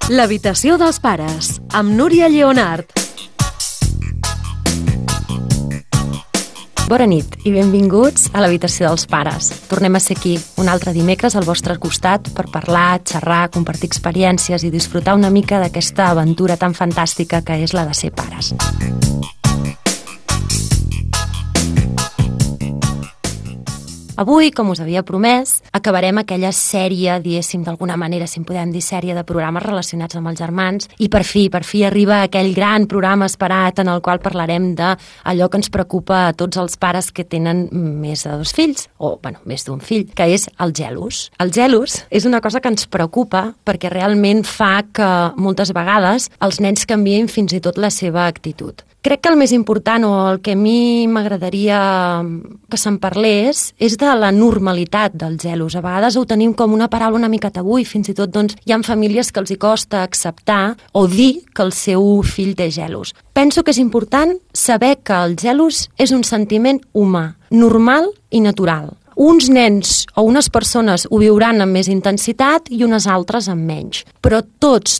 L'habitació dels pares, amb Núria Lleonart. Bona nit i benvinguts a l'habitació dels pares. Tornem a ser aquí un altre dimecres al vostre costat per parlar, xerrar, compartir experiències i disfrutar una mica d'aquesta aventura tan fantàstica que és la de ser pares. Avui, com us havia promès, acabarem aquella sèrie, diguéssim, d'alguna manera, si en podem dir sèrie de programes relacionats amb els germans, i per fi arriba aquell gran programa esperat en el qual parlarem d'allò que ens preocupa a tots els pares que tenen més de 2 fills, o, més d'un fill, que és el gelos. El gelos és una cosa que ens preocupa perquè realment fa que moltes vegades els nens canvien fins i tot la seva actitud. Crec que el més important, o el que a mi m'agradaria que se'n parlés, és de la normalitat del gelos. A vegades ho tenim com una paraula una mica tabú i fins i tot hi ha famílies que els hi costa acceptar o dir que el seu fill té gelos. Penso que és important saber que el gelos és un sentiment humà, normal i natural. Uns nens o unes persones ho viuran amb més intensitat i unes altres amb menys. Però tots,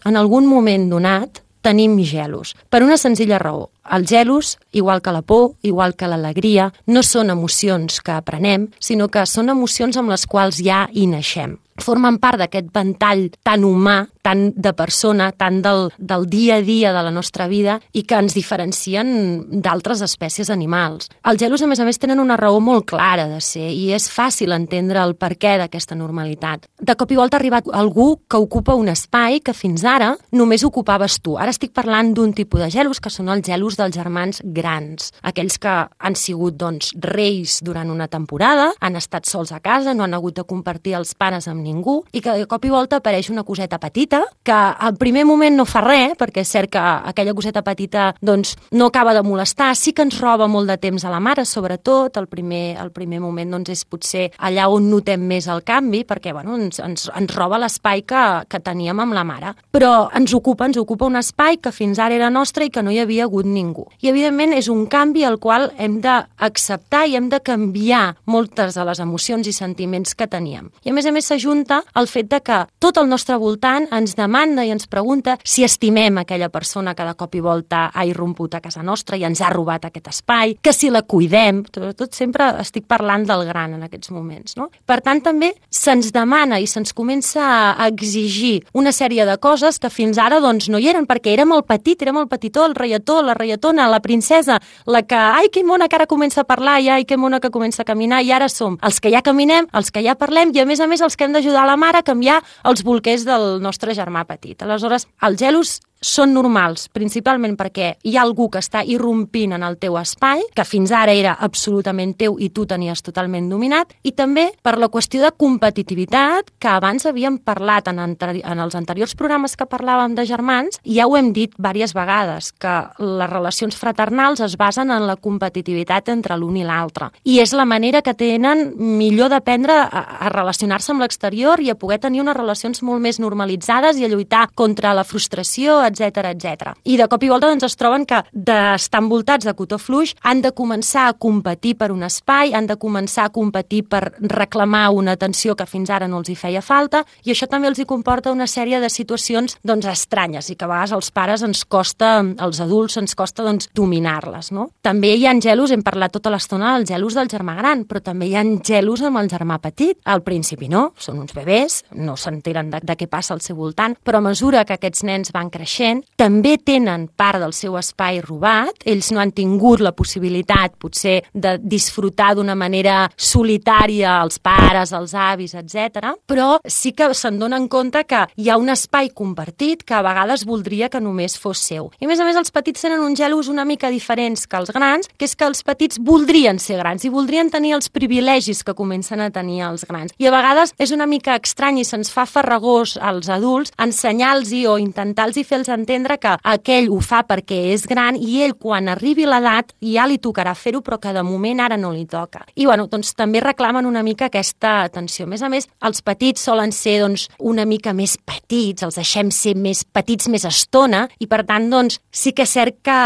en algun moment donat, tenim gelos, per una senzilla raó. El gelos, igual que la por, igual que l'alegria, no són emocions que aprenem, sinó que són emocions amb les quals ja hi naixem. Formen part d'aquest ventall tan humà, tan de persona, tan del dia a dia de la nostra vida i que ens diferencien d'altres espècies animals. Els gelos, a més, tenen una raó molt clara de ser i és fàcil entendre el perquè d'aquesta normalitat. De cop i volta ha arribat algú que ocupa un espai que fins ara només ocupaves tu. Ara estic parlant d'un tipus de gelos que són els gelos dels germans grans, aquells que han sigut, reis durant una temporada, han estat sols a casa, no han hagut de compartir els pares amb ningú i que de cop i volta apareix una coseta petita que al primer moment no fa res, perquè és cert que aquella coseta petita no acaba de molestar, sí que ens roba molt de temps a la mare, sobretot el primer moment és potser allà on notem més el canvi, perquè ens roba l'espai que teníem amb la mare, però ens ocupa un espai que fins ara era nostre i que no hi havia hagut ningú. I evidentment és un canvi al qual hem d'acceptar i hem de canviar moltes de les emocions i sentiments que teníem. I a més s'ajunta el fet de que tot el nostre voltant ens demanda i ens pregunta si estimem aquella persona que de cop i volta ha irromput a casa nostra i ens ha robat aquest espai, que si la cuidem, tot sempre estic parlant del gran en aquests moments, no? Per tant, també se'ns demana i se'ns comença a exigir una sèrie de coses que fins ara no hi eren, perquè érem el petitó, el reietó, la reietona, la princesa, la que, ai, que mona que ara comença a parlar, i ai, que mona que comença a caminar, i ara som els que ja caminem, els que ja parlem, i a més els que hem d'ajudar la mare a canviar els bolquers del nostre germà petit. Aleshores, els gelos són normals, principalment perquè hi ha algú que està irrompint en el teu espai, que fins ara era absolutament teu i tu tenies totalment dominat, i també per la qüestió de competitivitat que abans havíem parlat en els anteriors programes que parlàvem de germans, i ja ho hem dit diverses vegades, que les relacions fraternals es basen en la competitivitat entre l'un i l'altre. I és la manera que tenen millor d'aprendre a relacionar-se amb l'exterior i a poder tenir unes relacions molt més normalitzades i a lluitar contra la frustració, etc. I de cop i volta es troben que d'estar envoltats de cotó fluix han de començar a competir per un espai, han de començar a competir per reclamar una atenció que fins ara no els hi feia falta, i això també els hi comporta una sèrie de situacions estranyes i que a vegades als pares als adults ens costa dominar-les, no? També hi ha gelos, hem parlat tota l'estona dels gelos del germà gran, però també hi ha gelos amb el germà petit. Al principi no, són uns bebès, no s'enteren de què passa al seu voltant, però a mesura que aquests nens van creixent, també tenen part del seu espai robat, ells no han tingut la possibilitat potser de disfrutar d'una manera solitària els pares, els avis, etc. Però sí que se'n donen compte que hi ha un espai compartit que a vegades voldria que només fos seu. I a més els petits tenen uns gelos una mica diferents que els grans, que és que els petits voldrien ser grans i voldrien tenir els privilegis que comencen a tenir els grans. I a vegades és una mica estrany i se'ns fa farragós als adults ensenyar-los o intentar-los fer fer-los entendre que aquell ho fa perquè és gran i ell, quan arribi l'edat, ja li tocarà fer-ho, però que de moment ara no li toca. I bueno, doncs també reclamen una mica aquesta atenció. A més, els petits solen ser doncs, una mica més petits, els deixem ser més petits més estona, i per tant, doncs, sí que és cert que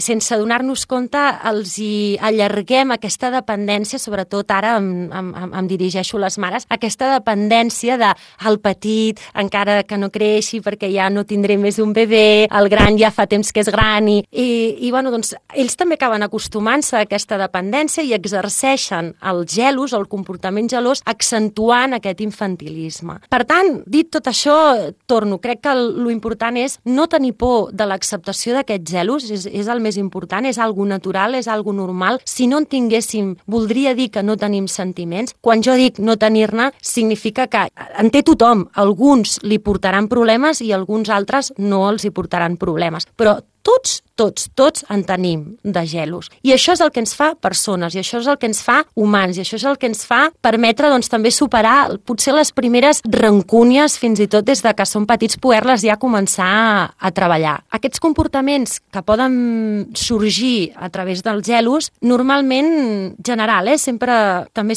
sense donar-nos compte els hi allarguem aquesta dependència, sobretot ara em dirigeixo a les mares, aquesta dependència del petit, encara que no creixi perquè ja no tindré més un bebè, el gran ja fa temps que és gran i bueno, doncs, ells també acaben acostumant-se a aquesta dependència i exerceixen el gelos, el comportament gelós, accentuant aquest infantilisme. Per tant, dit tot això, crec que lo important és no tenir por de l'acceptació d'aquests gelos, és el més important, és algo natural, és algo normal. Si no en tinguéssim, voldria dir que no tenim sentiments. Quan jo dic no tenir-ne, significa que en té tothom. Alguns li portaran problemes i alguns altres no els hi portaran problemes. Però tots en tenim de gelos. I això és el que ens fa persones, i això és el que ens fa humans, i això és el que ens fa permetre doncs, també superar potser les primeres rancúnies, fins i tot des de que som petits, poder-les ja començar a treballar. Aquests comportaments que poden sorgir a través dels gelos, normalment general, també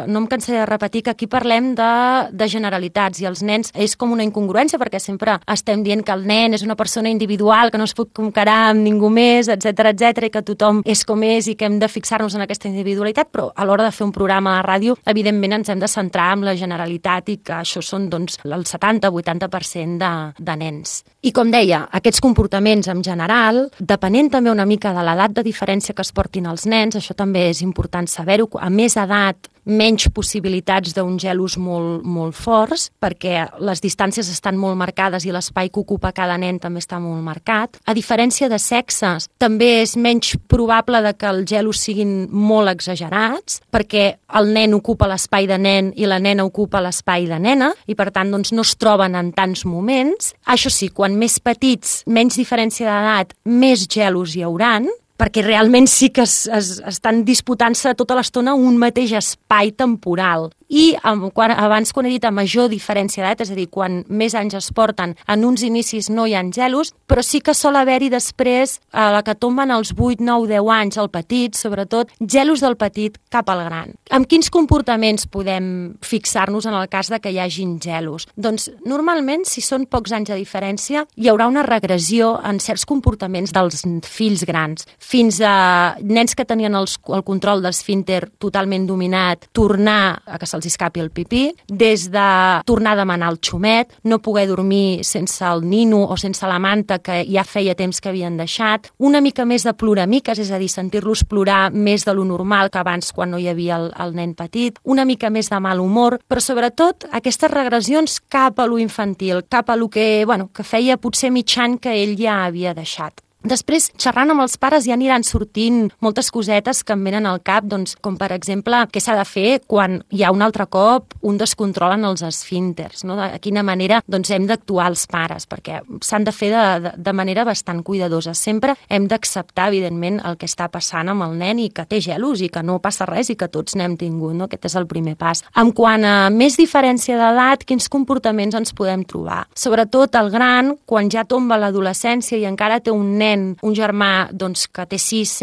no em cansaré de repetir que aquí parlem de generalitats, i els nens és com una incongruència, perquè sempre estem dient que el nen és una persona individual, que no es pot comparar amb ningú més, etc, i que tothom és com és i que hem de fixar-nos en aquesta individualitat, però a l'hora de fer un programa de ràdio, evidentment ens hem de centrar en la generalitat i que això són doncs, el 70-80% de nens. I com deia, aquests comportaments en general, depenent també una mica de l'edat de diferència que es portin els nens, això també és important saber-ho, a més edat, menys possibilitats d'uns gelos molt forts, perquè les distàncies estan molt marcades i l'espai que ocupa cada nen també està molt marcat. A diferència de sexes, també és menys probable que els gelos siguin molt exagerats, perquè el nen ocupa l'espai de nen i la nena ocupa l'espai de nena, i per tant doncs, no es troben en tants moments. Això sí, quan més petits, menys diferència d'edat, més gelos hi hauran, perquè realment sí que estan disputant-se tota l'estona un mateix espai temporal. I abans, quan he dit a major diferència d'edat, és a dir, quan més anys es porten, en uns inicis no hi ha gelos, però sí que sol haver-hi després, a la que tomben els 8, 9, 10 anys, el petit, sobretot, gelos del petit cap al gran. Amb quins comportaments podem fixar-nos en el cas de que hi hagin gelos? Doncs, normalment, si són pocs anys de diferència, hi haurà una regressió en certs comportaments dels fills grans, fins a nens que tenien el control d'esfínter totalment dominat, tornar a que se'ls escapi el pipí, des de tornar a demanar el xumet, no poder dormir sense el nino o sense la manta que ja feia temps que havien deixat, una mica més de ploramiques, és a dir, sentir-los plorar més de lo normal que abans quan no hi havia el nen petit, una mica més de mal humor, però sobretot aquestes regressions cap a lo infantil, cap a lo que feia potser mig any que ell ja havia deixat. Després, xerrant amb els pares ja aniran sortint moltes cosetes que em venen al cap, doncs, com per exemple, què s'ha de fer quan hi ha un altre cop un descontrol en els esfínters, no? De quina manera doncs, hem d'actuar els pares, perquè s'han de fer de manera bastant cuidadosa. Sempre hem d'acceptar, evidentment, el que està passant amb el nen i que té gelos i que no passa res i que tots n'hem tingut, no? Aquest és el primer pas. En quant a més diferència d'edat, quins comportaments ens podem trobar? Sobretot el gran, quan ja tomba l'adolescència i encara té un germà que té 6,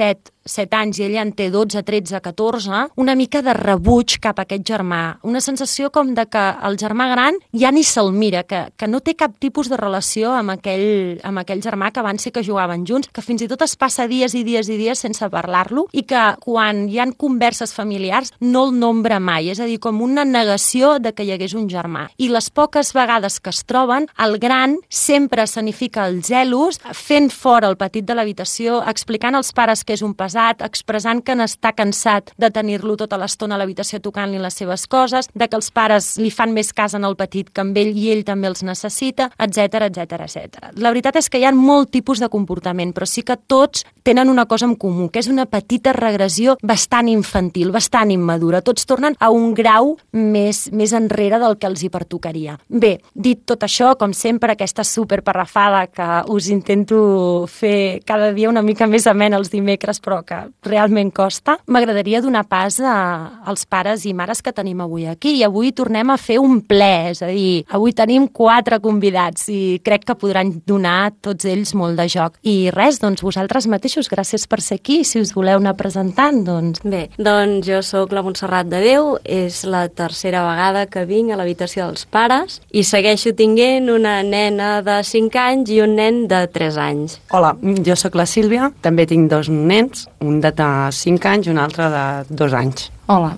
7 anys i ella en té 12, 13, 14, una mica de rebuig cap a aquest germà. Una sensació com de que el germà gran ja ni se'l mira, que no té cap tipus de relació amb aquell germà que abans sí que jugaven junts, que fins i tot es passa dies i dies i dies sense parlar-lo i que quan hi ha converses familiars no el nombra mai, és a dir, com una negació de que hi hagués un germà. I les poques vegades que es troben, el gran sempre escenifica els gelos, fent fora el petit de l'habitació, explicant als pares que és un pesat, expressant que n'està cansat de tenir-lo tota l'estona a l'habitació tocant-li les seves coses, de que els pares li fan més cas en el petit que amb ell i ell també els necessita, etc, etc, etc. La veritat és que hi ha molt tipus de comportament, però sí que tots tenen una cosa en comú, que és una petita regressió bastant infantil, bastant immadura. Tots tornen a un grau més enrere del que els hi pertocaria. Bé, dit tot això, com sempre, aquesta superparrafada que us intento fer cada dia una mica més amena els dimecres, però que realment costa, m'agradaria donar pas als pares i mares que tenim avui aquí. I avui tornem a fer un ple, és a dir, avui tenim 4 convidats i crec que podran donar tots ells molt de joc. I res, doncs vosaltres mateixos, gràcies per ser aquí. Si us voleu anar presentant, doncs... Bé, doncs jo sóc la Montserrat de Déu, és la tercera vegada que vinc a l'habitació dels pares i segueixo tinguent una nena de 5 anys i un nen de 3 anys. Hola, jo sóc la Sílvia, també tinc 2 nens, un de 5 anys i un altre de 2 anys. Hola,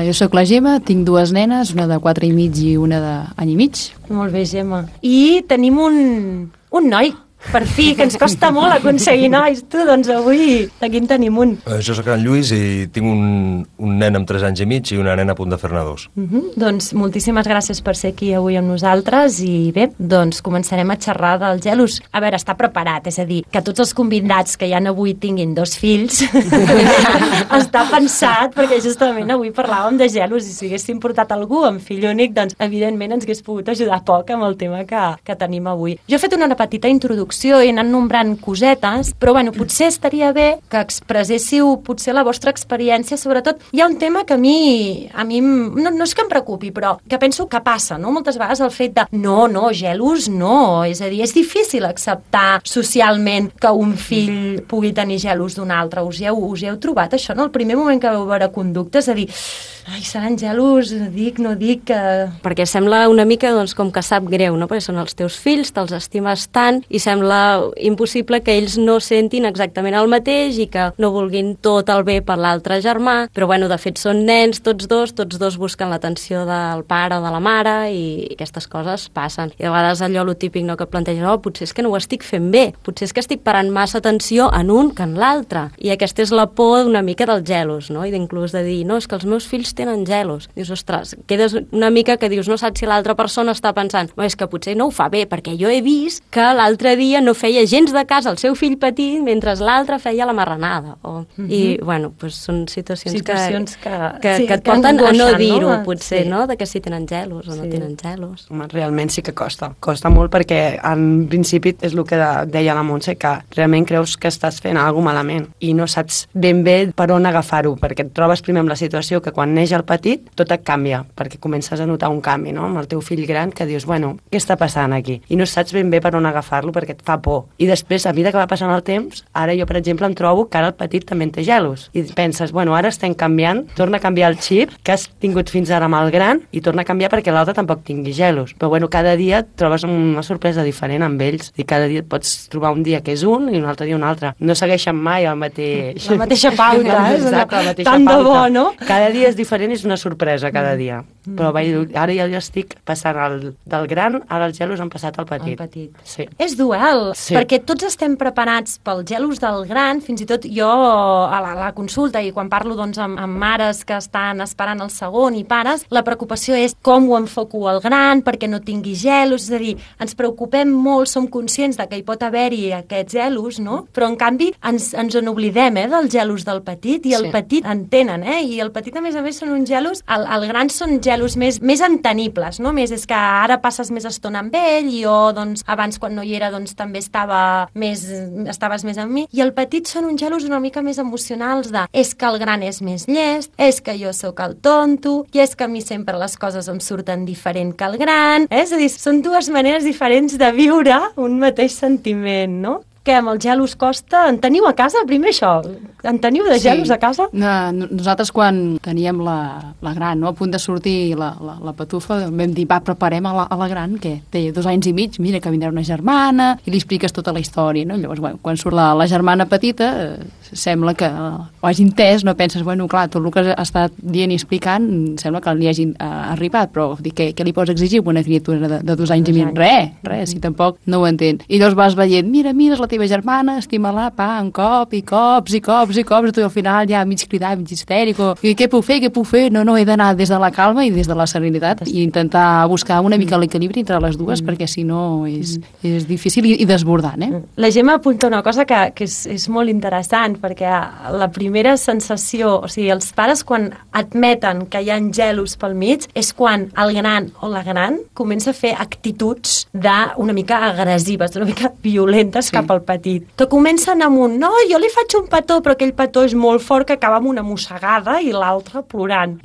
jo sóc la Gemma, tinc 2 nenes, una de 4 i mig i una d'any i mig. Molt bé, Gemma. I tenim un noi, per fi, que ens costa molt aconseguir nois. Tu, doncs avui, aquí en tenim un. Jo sóc en Lluís i tinc un nen amb 3 anys i mig i una nena a punt de fer-ne 2. Doncs moltíssimes gràcies per ser aquí avui amb nosaltres i bé, doncs començarem a xerrar dels gelos. A veure, està preparat, és a dir, que tots els convidats que hi ha avui tinguin 2 fills està pensat, perquè justament avui parlàvem de gelos i si haguéssim portat algú amb fill únic, doncs evidentment ens hagués pogut ajudar poc amb el tema que tenim avui. Jo he fet una petita introducció i he anat nombrant cosetes, però bueno, potser estaria bé que expresséssiu potser la vostra experiència. Sobretot hi ha un tema que a mi no és que em preocupi, però que penso que passa, no? Moltes vegades el fet de no, gelos no, és a dir, és difícil acceptar socialment que un fill pugui tenir gelos d'un altre. Us hi heu trobat això, no? El primer moment que vau veure conductes, és a dir, ai, seran gelos, dic, no dic... Perquè sembla una mica doncs, com que sap greu, no? Perquè són els teus fills, te'ls estimes tant i sembla impossible que ells no sentin exactament el mateix i que no vulguin tot el bé per l'altre germà, però bueno, de fet són nens tots dos busquen l'atenció del pare o de la mare i aquestes coses passen. I a vegades allò lo típic, no, que planteja, potser és que no ho estic fent bé, potser és que estic parant massa atenció en un que en l'altre. I aquesta és la por una mica dels gelos, no? I inclús de dir, no, és que els meus fills tenen gelos. Dius, ostres, quedes una mica que dius, no saps si l'altra persona està pensant, és que potser no ho fa bé, perquè jo he vist que l'altre dia no feia gens de cas al seu fill petit mentre l'altre feia la marranada. I, bueno, doncs són situacions que et porten a no dir-ho, potser, no? De que si tenen gelos o no tenen gelos. Realment sí que costa. Costa molt perquè, en principi, és el que deia la Montse, que realment creus que estàs fent alguna cosa malament i no saps ben bé per on agafar-ho, perquè et trobes primer amb la situació que quan neix el petit tot et canvia, perquè comences a notar un canvi, no? Amb el teu fill gran, que dius, bueno, què està passant aquí? I no saps ben bé per on agafar-lo perquè et fa por. I després, a mesura que va passant el temps, ara jo, per exemple, em trobo que ara el petit també en té gelos. I penses, bueno, ara estem canviant, torna a canviar el xip que has tingut fins ara amb el gran i torna a canviar perquè l'altre tampoc tingui gelos. Però bueno, cada dia et trobes una sorpresa diferent amb ells i cada dia et pots trobar un dia que és un i un altre dia un altre. No segueixen mai el mateix... La mateixa pauta, Exacte, la mateixa tant pauta. De bo, no? Cada dia és diferent, és una sorpresa cada dia. Però ara ja estic passant del gran, ara els gelos han passat al petit. El petit. Sí. És dual, Sí. perquè tots estem preparats pels gelos del gran, fins i tot jo a la consulta i quan parlo doncs, amb mares que estan esperant el segon i pares, la preocupació és com ho enfoco al gran perquè no tingui gelos, és a dir, ens preocupem molt, som conscients de que hi pot haver-hi aquests gelos, no? Però en canvi ens en oblidem dels gelos del petit i el petit en tenen, i el petit a més són uns gelos, el gran són gelos més entenibles, no? Més és que ara passes més estona amb ell i jo doncs, abans quan no hi era doncs, també estaves més amb mi, i el petit són uns gelos una mica més emocionals de és que el gran és més llest, és que jo sóc el tonto i és que a mi sempre les coses em surten diferent que el gran, és a dir, són 2 maneres diferents de viure un mateix sentiment, no? Que amb els gelos costa... En teniu a casa? Primer això. En teniu de gelos a casa? Nosaltres quan teníem la gran, no, a punt de sortir la patufa, vam dir, va, preparem a la gran, que té 2 anys i mig, mira que vindrà una germana, i li expliques tota la història, no? Llavors, bueno, quan surt la germana petita, sembla que ho hagi entès, no penses, bueno, clar, tot el que ha estat dient i explicant, sembla que li hagin arribat, però dic, què li pots exigir a una criatura de 2 anys i mig? Res, si tampoc no ho entén. I llavors vas veient, mira, és la teva germana, estima-la, un cop, i cops, i tu al final ja mig cridar, mig histèric, i què puc fer? No, he d'anar des de la calma i des de la serenitat i intentar buscar una mica l'equilibri entre les dues, perquè si no és difícil i desbordant, La Gemma apunta una cosa que és molt interessant, perquè la primera sensació, o sigui, els pares quan admeten que hi ha gelos pel mig és quan el gran o la gran comença a fer actituds una mica agressives, una mica violentes cap al petit, que comencen amb un no, jo li faig un petó, però aquell petó és molt fort que acaba amb una mossegada i l'altre plorant.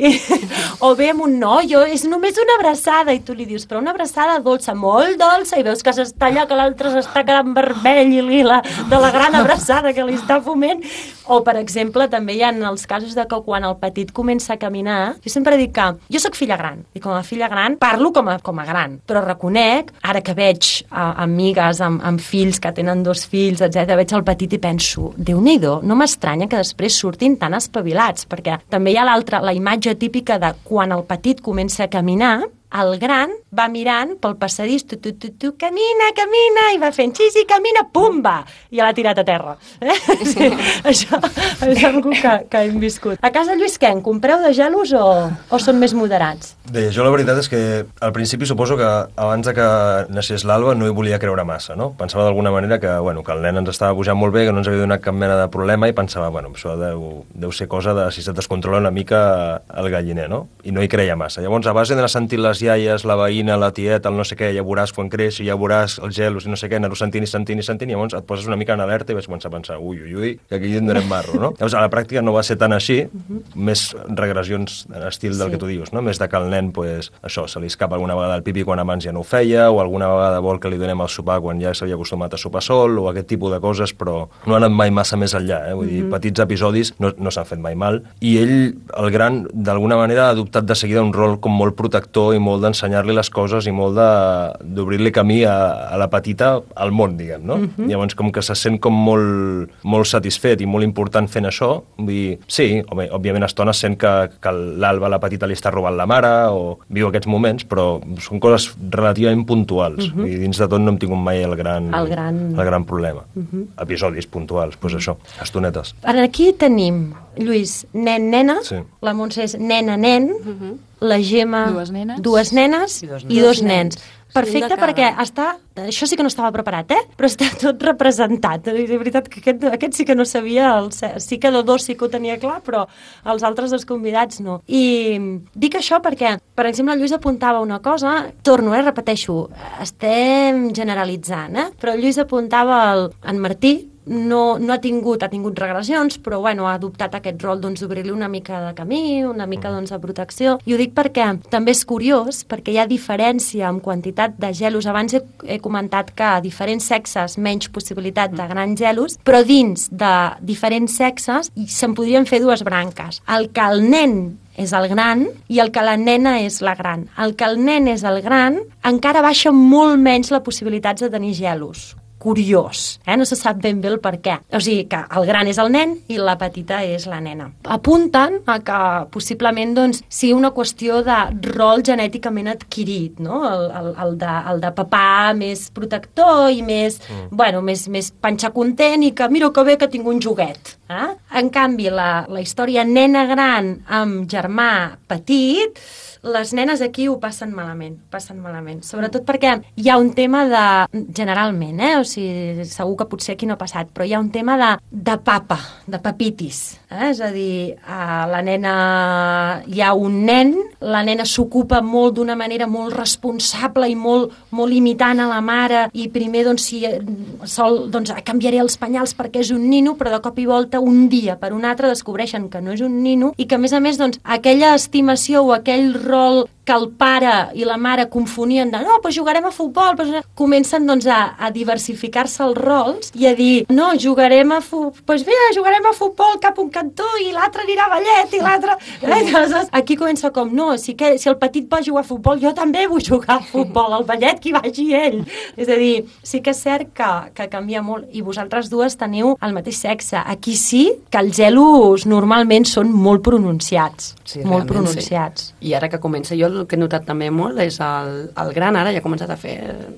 O bé amb un no, és només una abraçada, i tu li dius, però una abraçada dolça, molt dolça, i veus que s'està allà, que l'altre s'està quedant vermell i lila de la gran abraçada que li està foment. O, per exemple, també hi ha els casos de que quan el petit comença a caminar, jo sempre dic que jo sóc filla gran, i com a filla gran parlo com a gran, però reconec, ara que veig amigues amb fills que tenen 2 fills, etc, veig el petit i penso, Déu-n'hi-do, no m'estranya que després surtin tan espavilats, perquè també hi ha la imatge típica de quan el petit comença a caminar, el gran va mirant pel passadís, camina, i va fent xisi, camina, pumba! I l'ha tirat a terra. Sí, això és una que hem viscut. A casa Lluís, què? En compreu de gelos o són més moderats? Bé, jo la veritat és que al principi suposo que abans de que naixés l'Alba no hi volia creure massa, no? Pensava d'alguna manera que el nen ens estava pujant molt bé, que no ens havia donat cap mena de problema, i pensava, això deu ser cosa de si se't descontrola una mica el galliner, no? I no hi creia massa. Llavors, a base d'anar sentint les iaies, la veïna, la tieta, el no sé què, ja veuràs quan creixi, ja veuràs els gelos i no sé què, anar-ho sentint, i llavors et poses una mica en alerta i vas començar a pensar, ui, que aquí en donem marro, no? Llavors, a la pràctica no va ser tan així, més regressions en estil del que tu dius, no? Més de que el nen, se li escapa alguna vegada el pipi quan abans ja no ho feia, o alguna vegada vol que li donem el sopar quan ja s'havia acostumat a sopar sol, o aquest tipus de coses, però no han anat mai massa més enllà, Vull dir, petits episodis no s'han fet mai mal, i ell, el gran, d'alguna manera ha adoptat de seguida un rol com molt protector i molt d'ensenyar-li les coses i molt d'obrir-li camí a la petita al món, diguem, no? Llavors, com que se sent com molt satisfet i molt important fent això, vull dir, sí, òbviament a estones sent que l'Alba, la petita, li està robant la mare o viu aquests moments, però són coses relativament puntuals. I dins de tot no hem tingut mai el gran problema. Episodis puntuals, doncs això, estonetes. Aquí tenim, Lluís, nen-nena, sí. La Montse és nena-nen, la Gemma, dues nenes i 2 nens. Perfecte, perquè això sí que no estava preparat, però està tot representat. De veritat que aquest sí que no sabia, sí que de 2 sí que ho tenia clar, però els altres 2 convidats no. I dic això perquè, per exemple, el Lluís apuntava una cosa, repeteixo, estem generalitzant, però el Lluís apuntava en Martí, no ha tingut regressions, però ha adoptat aquest rol d'obrir-li una mica de camí, una mica de protecció. I ho dic perquè també és curiós, perquè hi ha diferència en quantitat de gelos. Abans he comentat que a diferents sexes menys possibilitat de grans gelos, però dins de diferents sexes se'n podrien fer 2 branques. El que el nen és el gran i el que la nena és la gran. El que el nen és el gran encara baixa molt menys les possibilitats de tenir gelos. Curiós, no se sap ben bé el per què. O sigui que el gran és el nen i la petita és la nena. Apunten a que possiblement sigui una qüestió de rol genèticament adquirit, no? El de papà més protector i més, més panxa content i que mira que bé que tinc un joguet. En canvi, la història nena gran amb germà petit, les nenes aquí ho passen malament. Sobretot perquè hi ha un tema generalment, o sigui, segur que potser aquí no ha passat, però hi ha un tema de papa, de papitis. És a dir, la nena, hi ha un nen, la nena s'ocupa molt d'una manera molt responsable i molt imitant a la mare, i primer, si sol, canviaré els penyals perquè és un nino, però de cop i volta, un dia per un altre, descobreixen que no és un nino i que, a més, aquella estimació o aquell rol que el pare i la mare confonien de no, doncs jugarem a futbol, comencen a diversificar-se els rols i a dir, no, jugarem a futbol cap un cantó i l'altre anirà a ballet i l'altre... Aquí comença com, no, si el petit va jugar a futbol, jo també vull jugar a futbol, al ballet que hi vagi ell. És a dir, sí que és cert que canvia molt, i vosaltres 2 teniu el mateix sexe. Aquí sí que els gelos normalment són molt pronunciats. Sí, molt pronunciats. Sí. I ara que comença, jo el que he notat també molt és el gran ara ja ha començat a fer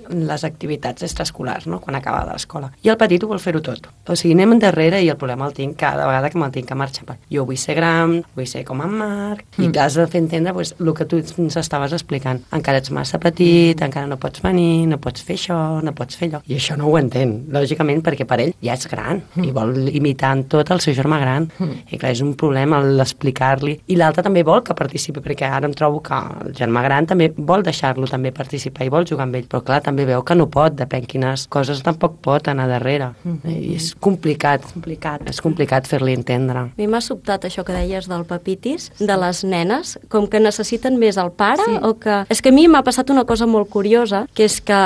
les activitats extraescolars, no?, quan acaba de l'escola. I el petit ho vol fer-ho tot. O sigui, anem endarrere i el problema el tinc cada vegada que me'l tinc que marxar. Jo vull ser gran, vull ser com en Marc, i t'has de fer entendre el que tu ens estaves explicant. Encara ets massa petit, encara no pots venir, no pots fer això, no pots fer allò. I això no ho entén, lògicament, perquè per ell ja és gran i vol imitar en tot el seu germà gran. I clar, és un problema l'explicar-li. I l'altre també vol que participi, perquè ara em trobo que el germà gran també vol deixar-lo també participar i vol jugar amb ell, però clar, també veu que no pot, depèn quines coses tampoc pot anar darrere. I és complicat. És complicat fer-li entendre. A mi m'ha sobtat això que deies del papitis, de les nenes, com que necessiten més el pare, o que... És que a mi m'ha passat una cosa molt curiosa, que és que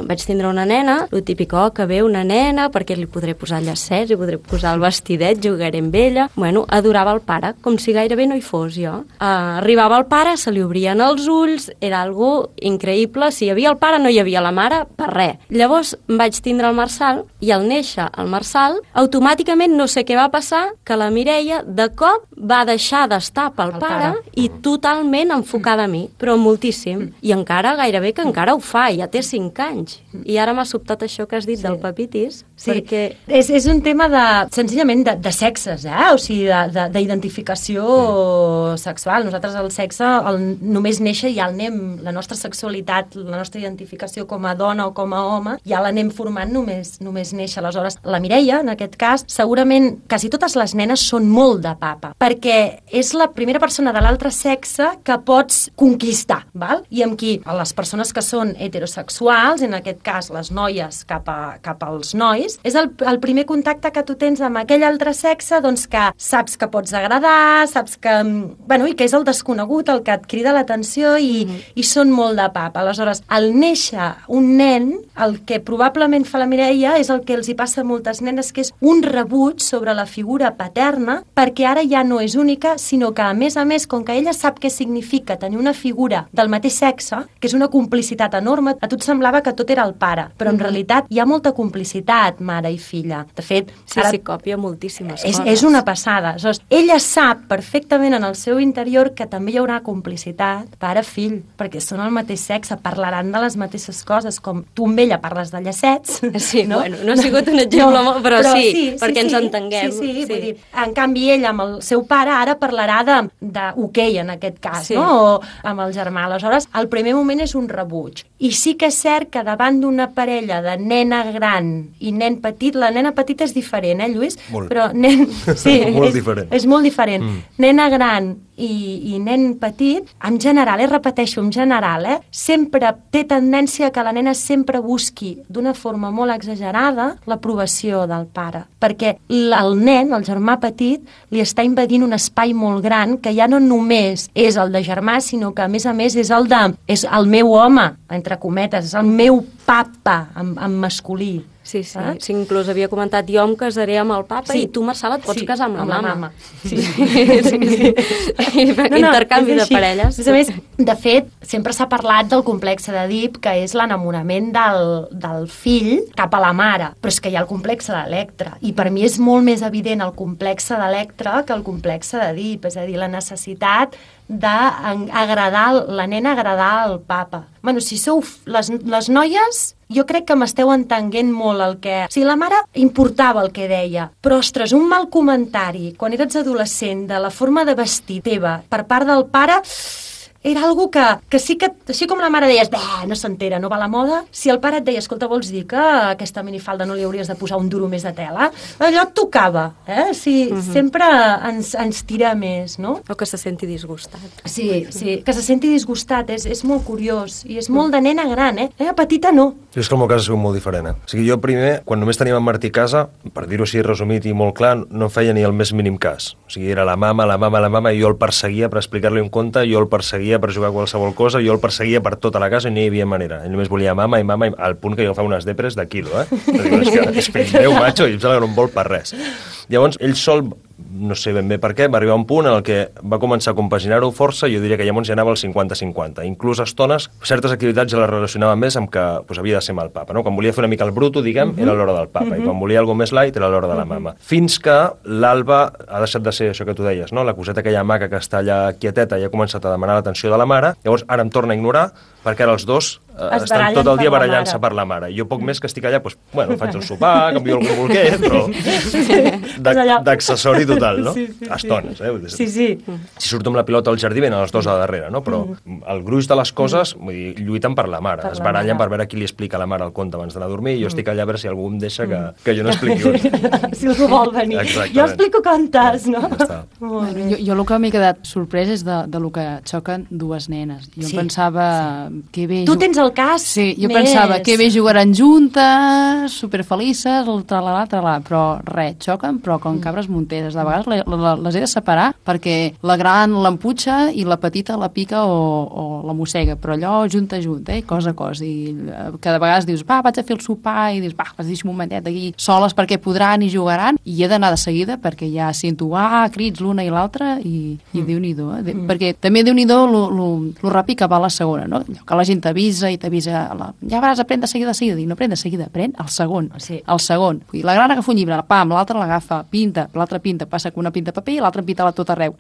vaig tindre una nena, lo típic, que ve una nena, perquè li podré posar llacets, li podré posar el vestidet, jugaré amb ella. Bueno, adorava el pare, com si gairebé no hi fos jo. Arribava el pare, se li obrien els ulls, era algo increïble. Si hi havia el pare, no hi havia la mare, per res. Llavors vaig tindre el Marçal, i al néixer el Marçal, automàticament no sé què va passar, que la Mireia de cop va deixar d'estar pel pare i totalment enfocada a mi, però moltíssim. I encara, gairebé que encara ho fa, ja té 5 anys. I ara m'ha sobtat això que has dit del papitis, perquè... És un tema senzillament de sexes, o sigui, d'identificació sexual. Nosaltres el sexe, només néixer ja el anem, la nostra sexualitat, la nostra identificació com a dona o com a home, ja l'anem formant només néixer. Aleshores, la Mireia, en aquest cas, segurament quasi totes les nenes són molt de papa, perquè és la primera persona de l'altre sexe que pots conquistar, val? I amb qui les persones que són heterosexuals, en aquest cas les noies cap als nois, és el primer contacte que tu tens amb aquell altre sexe, doncs que saps que pots agradar, saps que... Bueno, i que és el desconegut, el que et crida l'atenció i són molt de papa. Aleshores, al néixer un nen, el que probablement fa la Mireia és el que els hi passa a moltes nenes, que és un rebuig sobre la figura paterna, perquè ara ja no és única, sinó que, a més, com que ella sap què significa tenir una figura del mateix sexe, que és una complicitat enorme, a tu et semblava que tot era el pare, però en realitat hi ha molta complicitat, mare i filla. De fet, ara copia moltíssimes coses. És una passada. Aleshores, ella sap perfectament en el seu interior que també hi haurà complicitat pare-fill, perquè són el mateix sexe, parlaran de les mateixes coses, com tu amb ella parles de llacets. Sí, no? Bueno, no ha sigut un exemple, però sí, perquè ens entenguem. Sí. Vull dir, en canvi, ella amb el seu pare ara parlarà d'hoquei, en aquest cas, no? O amb el germà. Aleshores, el primer moment és un rebuig. I sí que és cert que davant d'una parella de nena gran i nen petit, la nena petita és diferent, Lluís? Molt. Però nen... Sí, molt diferent. És molt diferent. Nena gran i nen petit, en general, repeteixo, en general, sempre té tendència que la nena sempre busqui d'una forma molt exagerada l'aprovació del pare, perquè el nen, el germà petit, li està invadint un espai molt gran que ja no només és el de germà, sinó que a més és és el meu home, entre cometes, és el meu papa en masculí. Sí, inclús havia comentat, jo em casaré amb el papa i tu, Marçal, et pots casar amb la mama. Sí. Intercanvi de parelles. A més, de fet, sempre s'ha parlat del complexe d'Èdip, que és l'enamorament del fill cap a la mare, però és que hi ha el complexe d'Electra, i per mi és molt més evident el complexe d'Electra que el complexe d'Èdip, és a dir, la necessitat d'agradar, la nena agradar al papa. Bueno, si sou les noies, jo crec que m'esteu entenent molt el que... O sigui, la mare importava el que deia, però, ostres, un mal comentari quan eres adolescent de la forma de vestir teva per part del pare... Era algo que sí que, així com la mare deies, no s'entera, no va a la moda, si el pare et deia, escolta, vols dir que aquesta minifalda no li hauries de posar un duro més de tela? Allò et tocava, sempre ens tira més, no? O que se senti disgustat. Sí, que se senti disgustat, és molt curiós, i és molt de nena gran, Nena petita no. És que el meu cas ha sigut molt diferent, O sigui, jo primer, quan només teníem en Martí a casa, per dir-ho així resumit i molt clar, no feia ni el més mínim cas. O sigui, era la mama, i jo el perseguia per explicar-li un conte, jo el perseguia per jugar a qualsevol cosa, jo el perseguia per tota la casa i no hi havia manera. Ell només volia mama, al punt que jo agafava unes depres de quilo, És fill meu, macho, i em sembla que no em vol per res. Llavors, ell sol, no sé ben bé per què, va arribar a un punt en el que va començar a compaginar-ho força, jo diria que llavors ja anava al 50-50. Inclús a estones, certes activitats ja les relacionava més amb que havia de ser amb el papa, no? Quan volia fer una mica el bruto, diguem, era l'hora del papa, i quan volia alguna més light era l'hora de la mama. Fins que l'Alba ha deixat de ser això que tu deies, no? La coseta aquella maca que està allà quieteta i ha començat a demanar l'atenció de la mare, llavors ara em torna a ignorar, perquè ara els dos estan tot el dia barallant-se per la mare. Jo poc més que estic allà, doncs, bueno, faig el sopar, canvio algun bolquet, però d'accessori total, no? A estones, Sí. Si surto amb la pilota al jardí, venen els dos a darrere, no? Però el gruix de les coses, vull dir, lluiten per la mare. Es barallen per veure qui li explica a la mare el conte abans d'anar a dormir, i jo estic allà a veure si algú em deixa que jo no expliqui un. Si algú vol venir. Exactament. Jo explico contes, no? Bueno, jo el que m'he quedat sorprès és de lo que xoquen dues nenes. Jo pensava que bé... Tu tens el cas Sí, jo més... pensava que bé jugaran juntes, superfelices, tralala, però res, xoquen, però com cabres monteres. De vegades les he de separar perquè la gran l'emputxa i la petita la pica o la mossega, però allò junta, cosa a cosa. I cada vegada dius, va, vaig a fer el sopar, i dius, va, deixa'm un momentet aquí soles perquè podran i jugaran, i he d'anar de seguida perquè ja sento, crits l'una i l'altra, i Déu-n'hi-do, perquè també Déu-n'hi-do lo ràpid que va a la segona, no? Que la gent t'avisa i t'avisa, ja vas, aprèn de seguida, i no aprèn de seguida, aprèn el segon, el segon. Vull dir, la gran agafa un llibre, pam, l'altra l'agafa, pinta, l'altra pinta, passa com una pinta paper i l'altra pinta-la tot arreu.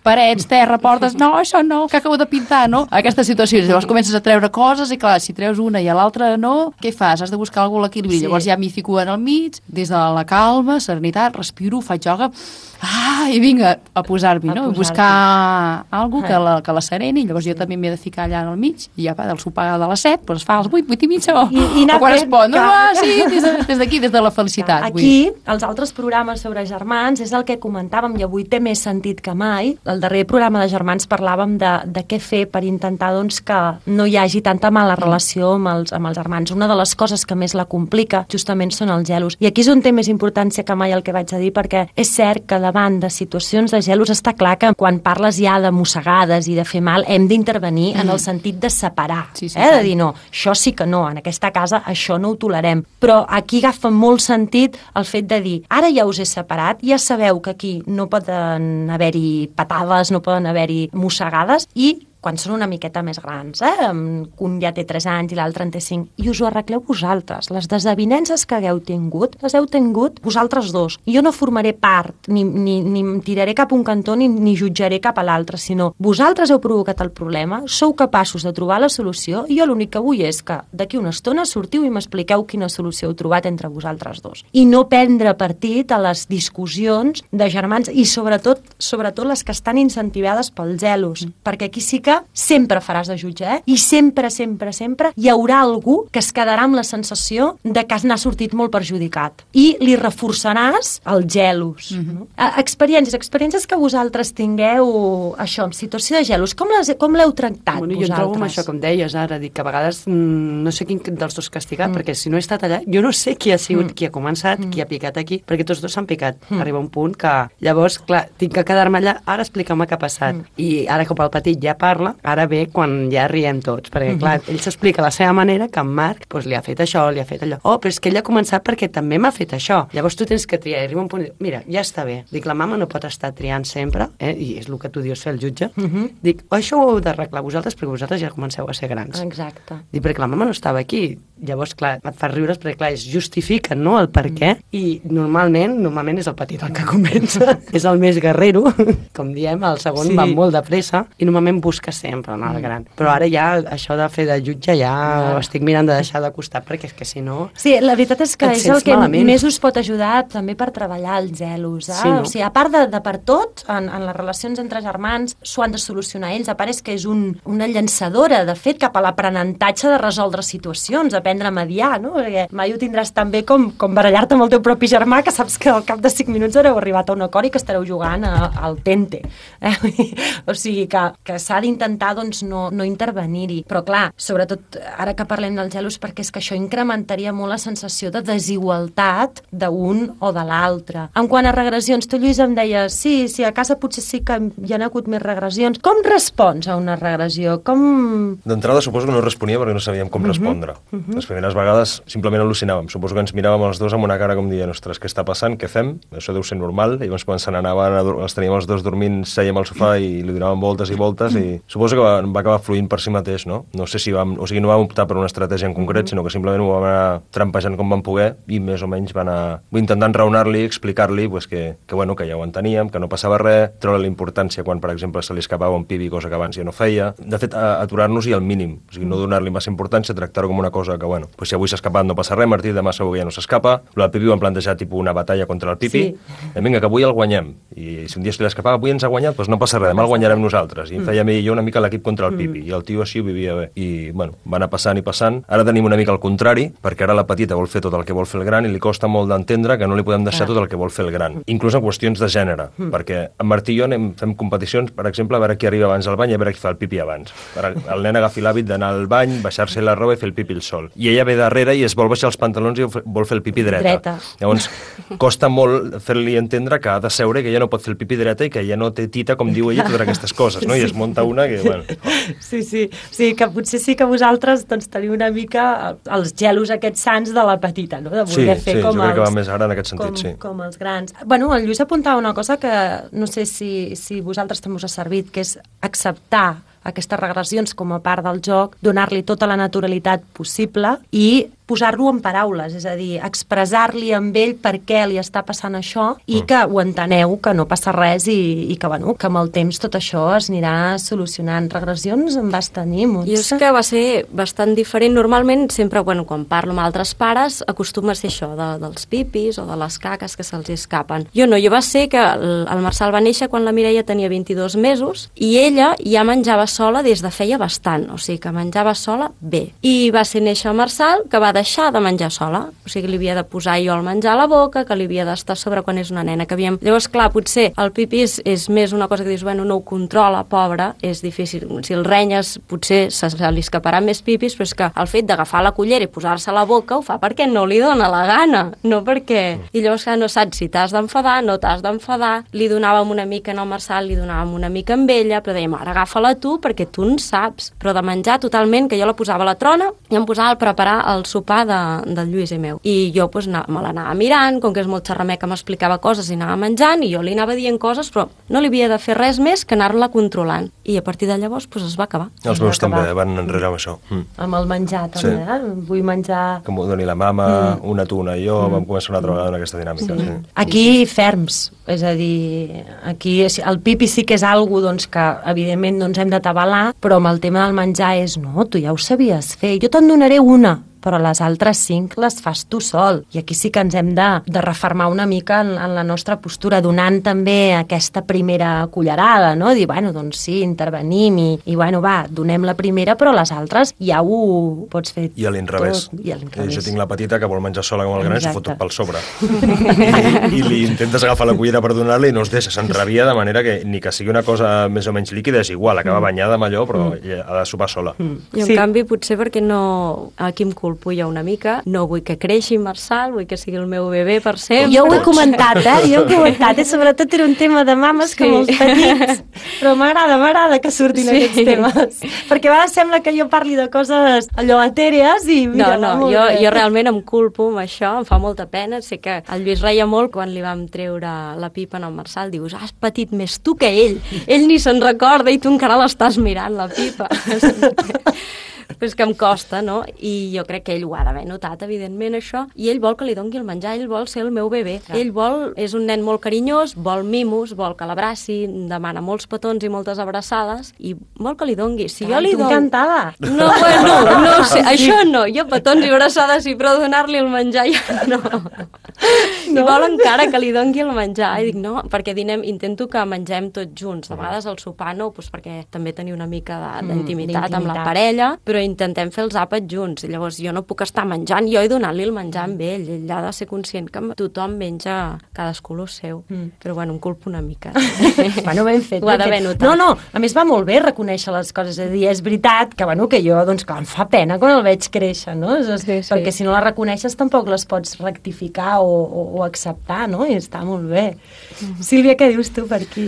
Parets, terra, portes, no, això no, que acabo de pintar, no? Aquestes situacions, llavors comences a treure coses i clar, si treus una i a l'altra no, què fas? Has de buscar algú a l'equilibri. Llavors ja m'hi fico en el mig, des de la calma, serenitat, respiro, faig ioga, i vinga a posar-m'hi, no? Buscar algú que la sereni, llavors jo també m'he de ficar allà en el mig, i ja del sopar de les 7, doncs es fa als 8, 8 i mitja, o quan es pot, no? Sí, des d'aquí, des de la felicitat. Aquí, els altres programes sobre germans, és el que comentàvem, i avui té més sentit que mai. El darrer programa de germans parlàvem de què fer per intentar doncs, que no hi hagi tanta mala relació amb els germans. Una de les coses que més la complica justament són els gelos. I aquí és on té més importància que mai el que vaig a dir, perquè és cert que davant de situacions de gelos està clar que quan parles ja de mossegades i de fer mal hem d'intervenir en el sentit de separar, de dir no, això sí que no, en aquesta casa això no ho tolerem. Però aquí agafa molt sentit el fet de dir, ara ja us he separat, ja sabeu que aquí no poden haver-hi patades, no poden haver-hi mossegades, i quan són una miqueta més grans, un ja té 3 anys i l'altre en té 5, i us ho arregleu vosaltres. Les desavinences que hagueu tingut, les heu tingut vosaltres dos. I jo no formaré part, ni em tiraré cap a un cantó, ni jutjaré cap a l'altre, sinó vosaltres heu provocat el problema, sou capaços de trobar la solució, i jo l'únic que vull és que d'aquí una estona sortiu i m'expliqueu quina solució heu trobat entre vosaltres dos. I no prendre partit a les discussions de germans, i sobretot les que estan incentivades pels gelos, perquè aquí sí que sempre faràs de jutge, i sempre hi haurà algú que es quedarà amb la sensació de que n'ha sortit molt perjudicat, i li reforçaràs els gelos. Experiències que vosaltres tingueu, això, en situació de gelos, com l'heu tractat vosaltres? Jo trobo amb això, com deies ara, dic que a vegades no sé quin dels dos castigat, perquè si no he estat allà, jo no sé qui ha sigut, qui ha començat, qui ha picat aquí, perquè tots dos s'han picat. Arriba un punt que, llavors, clar, tinc que quedar-me allà, ara explicar-me què ha passat. I ara, com el petit ja parla, ara ve quan ja riem tots, perquè clar, ell s'explica a la seva manera que en Marc li ha fet això, li ha fet allò. Però és que ell ha començat perquè també m'ha fet això. Llavors tu tens que triar, i arriba un punt, mira, ja està bé. Dic, la mama no pot estar triant sempre, i és el que tu dius fer el jutge. Dic, això ho heu d'arreglar vosaltres perquè vosaltres ja comenceu a ser grans. Exacte. Dic, perquè la mama no estava aquí. Llavors, clar, et fa riure perquè, clar, es justifiquen, no?, el per què, i normalment és el petit el que comença, és el més guerrero, com diem, el segon va molt de pressa, i normalment busca sempre anar al gran. Però ara ja això de fer de jutge ja ho estic mirant de deixar de costat, perquè és que si no... Sí, la veritat és que és el que més us pot ajudar també per treballar els gelos. O sigui, a part de per tot, en les relacions entre germans s'ho han de solucionar ells. A part és que és una llançadora, de fet, cap a l'aprenentatge de resoldre situacions, aprendre a mediar, no? Perquè mai ho tindràs tan bé com barallar-te amb el teu propi germà, que saps que al cap de 5 minuts haureu arribat a un acord i que estareu jugant al tente. O sigui, que s'ha d'intentar doncs, no intervenir-hi. Però clar, sobretot ara que parlem dels gelos, perquè és que això incrementaria molt la sensació de desigualtat d'un o de l'altre. En quant a regressions, tu, Lluís, em deies, sí, a casa potser sí que hi ha hagut més regressions. Com respons a una regressió? D'entrada suposo que no responia perquè no sabíem com respondre. Les primeres vegades simplement al·lucinàvem. Suposo que ens miràvem els dos amb una cara com dient, ostres, què està passant, què fem? Això deu ser normal. I llavors quan se n'anaven, els teníem els dos dormint, sèiem al sofà i li donàvem voltes i voltes, i suposo que va acabar fluint per si mateix, no? No sé si no vam optar per una estratègia en concret, sinó que simplement ho vam anar trampejant com vam poder i més o menys va anar intentant raonar-li, explicar-li que ja ho enteníem, que no passava res, treure la importància quan, per exemple, se li escapava un pipi, cosa que abans ja no feia. De fet, aturar-nos-hi al mínim, o sigui, no donar-li massa importància, tractar-ho com una cosa que, si avui s'ha escapat no passa res, Martí, demà segur que ja no s'escapa. Lo del pipi ho vam plantejar tipus una batalla contra el pipi. Vinga, que avui el guanyem. I si un dia se li escapava, avui ens ha guanyat, doncs no passa res, demà el guanyarem nosaltres. I em feia a mi i jo una mica l'equip contra el pipi. I el tio així ho vivia bé. I, va anar passant i passant. Ara tenim una mica al contrari, perquè ara la petita vol fer tot el que vol fer el gran i li costa molt d'entendre que no li podem deixar tot el que vol fer el gran. Inclús en qüestions de gènere, perquè en Martí i jo fem competicions, per exemple, a veure qui arriba abans al bany i a veure qui fa el pipi abans. El nen agafi l'hàbit d'anar al bany, baixar-se la roba i fer el pipi el sol. I ella ve darrere i es vol baixar els pantalons i vol fer el pipi dreta. Llavors, costa molt fer-li entendre que ha de seure, que ella no pot fer el pipi dreta i que ella no té tita, com diu ella, totes aquestes coses, no? I es munta una que, Sí. O sigui, que potser sí que vosaltres teniu una mica els gelos aquests sants de la petita, no? De voler fer com jo crec que va més ara en aquest sentit, com els grans. Bueno, el Lluís apuntava una cosa que no sé si vosaltres també us ha servit, que és acceptar aquestes regressions com a part del joc, donar-li tota la naturalitat possible i posar-lo en paraules, és a dir, expressar-li amb ell per què li està passant això i que ho enteneu, que no passa res i que, que amb el temps tot això es anirà solucionant. Regressions en vas tenir molts. I és que va ser bastant diferent. Normalment, sempre, quan parlo amb altres pares, acostuma a ser això, dels pipis o de les caques que se'ls escapen. Jo no, va ser que el Marçal va néixer quan la Mireia tenia 22 mesos i ella ja menjava sola des de feia bastant, o sigui que menjava sola bé. I va ser néixer el Marçal, que va deixar de menjar sola, o sigui, li havia de posar jo el menjar a la boca, que li havia d'estar a sobre quan és una nena, que havíem... Llavors, clar, potser el pipi és més una cosa que dius, no ho controla, pobra, és difícil. Si el renyes, potser se li escaparà més pipis, però és que el fet d'agafar la cullera i posar-se a la boca ho fa perquè no li dona la gana, no perquè... I llavors, clar, no saps si t'has d'enfadar, no t'has d'enfadar, li donàvem una mica en el Marçal, li donàvem una mica amb ella, però dèiem, ara agafa-la tu, perquè tu en saps. Però de menjar totalment, que jo la posava a la trona i em posava a preparar el sopar del Lluís i meu. I jo me l'anava mirant, com que és molt xerrameca m'explicava coses i anava menjant i jo li anava dient coses, però no li havia de fer res més que anar-la controlant. I a partir de llavors es va acabar. Els meus també van enrere amb això. Amb el menjar també, vull menjar... Que m'ho doni la mama, una tu, una jo, vam començar una altra vegada en aquesta dinàmica. Sí. Aquí ferms, és a dir, aquí el pipi sí que és algo que evidentment no ens hem d'atabalar, però amb el tema del menjar és, no, tu ja ho sabies fer, jo te'n donaré una, però les altres 5 les fas tu sol. I aquí sí que ens hem de refermar una mica en la nostra postura, donant també aquesta primera cullerada, no? Dir, doncs sí, intervenim i donem la primera, però les altres ja ho pots fer I a l'inrevés. tot. I a l'inrevés. Jo tinc la petita que vol menjar sola com el gran i s'ho fot tot pel sobre. I li intentes agafar la cullera per donar-li i no es deixa, s'enrabia de manera que ni que sigui una cosa més o menys líquida és igual, acaba banyada amb allò, però ha de sopar sola. I en canvi, potser perquè no... Aquí em culpo jo una mica, no vull que creixi Marçal, vull que sigui el meu bebè per sempre. Jo ho he comentat, i sobretot era un tema de mames com els petits, però m'agrada que surtin aquests temes, perquè a vegades sembla que jo parli de coses allò etèrees i... Mira, jo realment em culpo amb això, em fa molta pena, sé que el Lluís reia molt quan li vam treure la pipa en el Marçal, dius, has patit més tu que ell ni se'n recorda i tu encara l'estàs mirant, la pipa. Però és que em costa, no? I jo crec que ell ho ha d'haver notat, evidentment, això, i ell vol que li doni el menjar, ell vol ser el meu bebè. Clar. Ell és un nen molt carinyós, vol mimos, vol que l'abraci, demana molts petons i moltes abraçades, i vol que li doni. Si jo li dono... encantada. No, no sé, això no, jo petons i abraçades sí, però donar-li el menjar ja no. I vol encara que li doni el menjar, i dic no, perquè intento que mengem tots junts, de vegades al sopar no, perquè també tenia una mica d'intimitat amb la parella, però intentem fer els àpats junts, i llavors jo no puc estar menjant jo i donant-li el menjar amb ell ha de ser conscient que tothom menja cadascú el seu, però em culpo una mica. Ben fet. Ho ha d'haver notat. No, a més va molt bé reconèixer les coses, és a dir, és veritat que jo, que em fa pena quan el veig créixer, no? Perquè si no les reconeixes tampoc les pots rectificar o o acceptar, no? I està molt bé. Sílvia, què dius tu per aquí?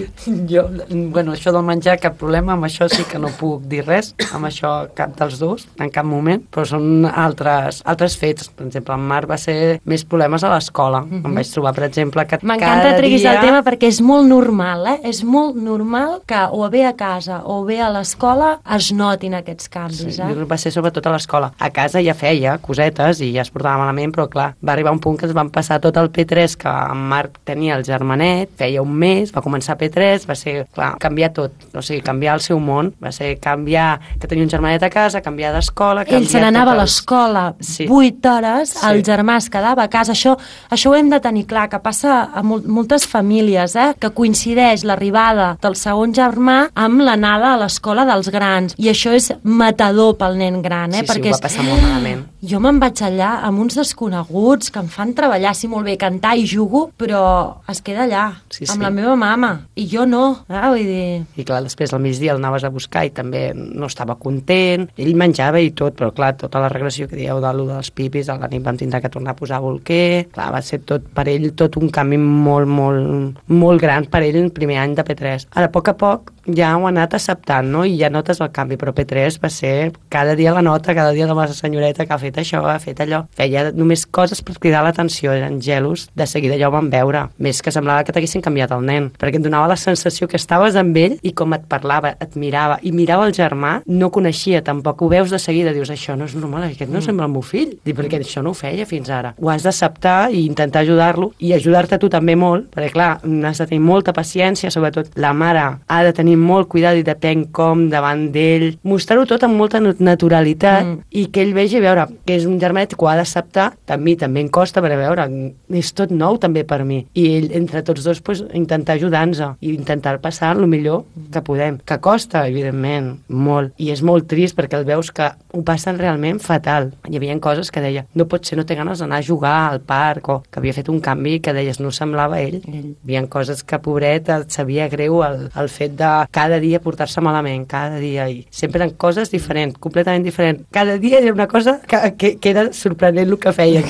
Jo, bueno, això del menjar, cap problema, amb això sí que no puc dir res, amb això cap dels dos, en cap moment, però són altres fets. Per exemple, en Marc va ser més problemes a l'escola. Em vaig trobar, per exemple, que m'encanta treguis el tema perquè és molt normal, És molt normal que o bé a casa o bé a l'escola es notin aquests canvis, Va ser sobretot a l'escola. A casa ja feia cosetes i ja es portava malament, però clar, va arribar un punt que es van passar tot el P3 que en Marc tenia el germanet, feia un mes, va començar P3, va ser, clar, canviar tot, o sigui, canviar el seu món, va ser canviar que tenia un germanet a casa, canviar d'escola... Ell se n'anava a l'escola 8 hores, el germà es quedava a casa, això ho hem de tenir clar, que passa a moltes famílies, que coincideix l'arribada del segon germà amb l'anada a l'escola dels grans, i això és matador pel nen gran, perquè ho va passar molt malament. Jo me'n vaig allà amb uns desconeguts que em fan treballar, sí, molt bé, cantar i jugo, però es queda allà, amb la meva mama, i jo no, vull dir... I clar, després al migdia el anaves a buscar i també no estava content, ell menjava i tot, però clar, tota la regressió que dieu dels pipis, a la nit vam tindre que tornar a posar bolquer, clar, va ser tot per ell tot un canvi molt, molt, molt gran per ell el primer any de P3. Ara, a poc ja ho ha anat acceptant, no? I ja notes el canvi, però P3 va ser cada dia la nota, cada dia la senyoreta que ha fet això, ha fet allò. Feia només coses per cridar l'atenció, eren gelos, de seguida ja ho vam veure. Més que semblava que t'haguessin canviat el nen, perquè et donava la sensació que estaves amb ell i com et parlava, et mirava, i mirava el germà, no coneixia tampoc, ho veus de seguida, dius, això no és normal, aquest no sembla el meu fill, perquè això no ho feia fins ara. Ho has d'acceptar i intentar ajudar-lo, i ajudar-te tu també molt, perquè clar, has de tenir molta paciència, sobretot la mare ha de tenir molt cuidado i depèn com davant d'ell, mostrar-ho tot amb molta naturalitat i que ell vegi, veure, que és un germanet que ho ha d'acceptar, també em costa, perquè veure, és tot nou també per mi, i ell, entre tots dos, pues, intentar ajudar-nos i intentar passar el millor que podem, que costa, evidentment, molt, i és molt trist perquè el veus que ho passen realment fatal. Hi havia coses que deia, no pot ser, no té ganes d'anar a jugar al parc, o que havia fet un canvi que deies, no semblava ell. Hi havia coses que, pobret, et sabia greu el fet de cada dia portar-se malament, cada dia, i sempre eren coses diferents, completament diferents. Cada dia era una cosa que era sorprenent el que feia.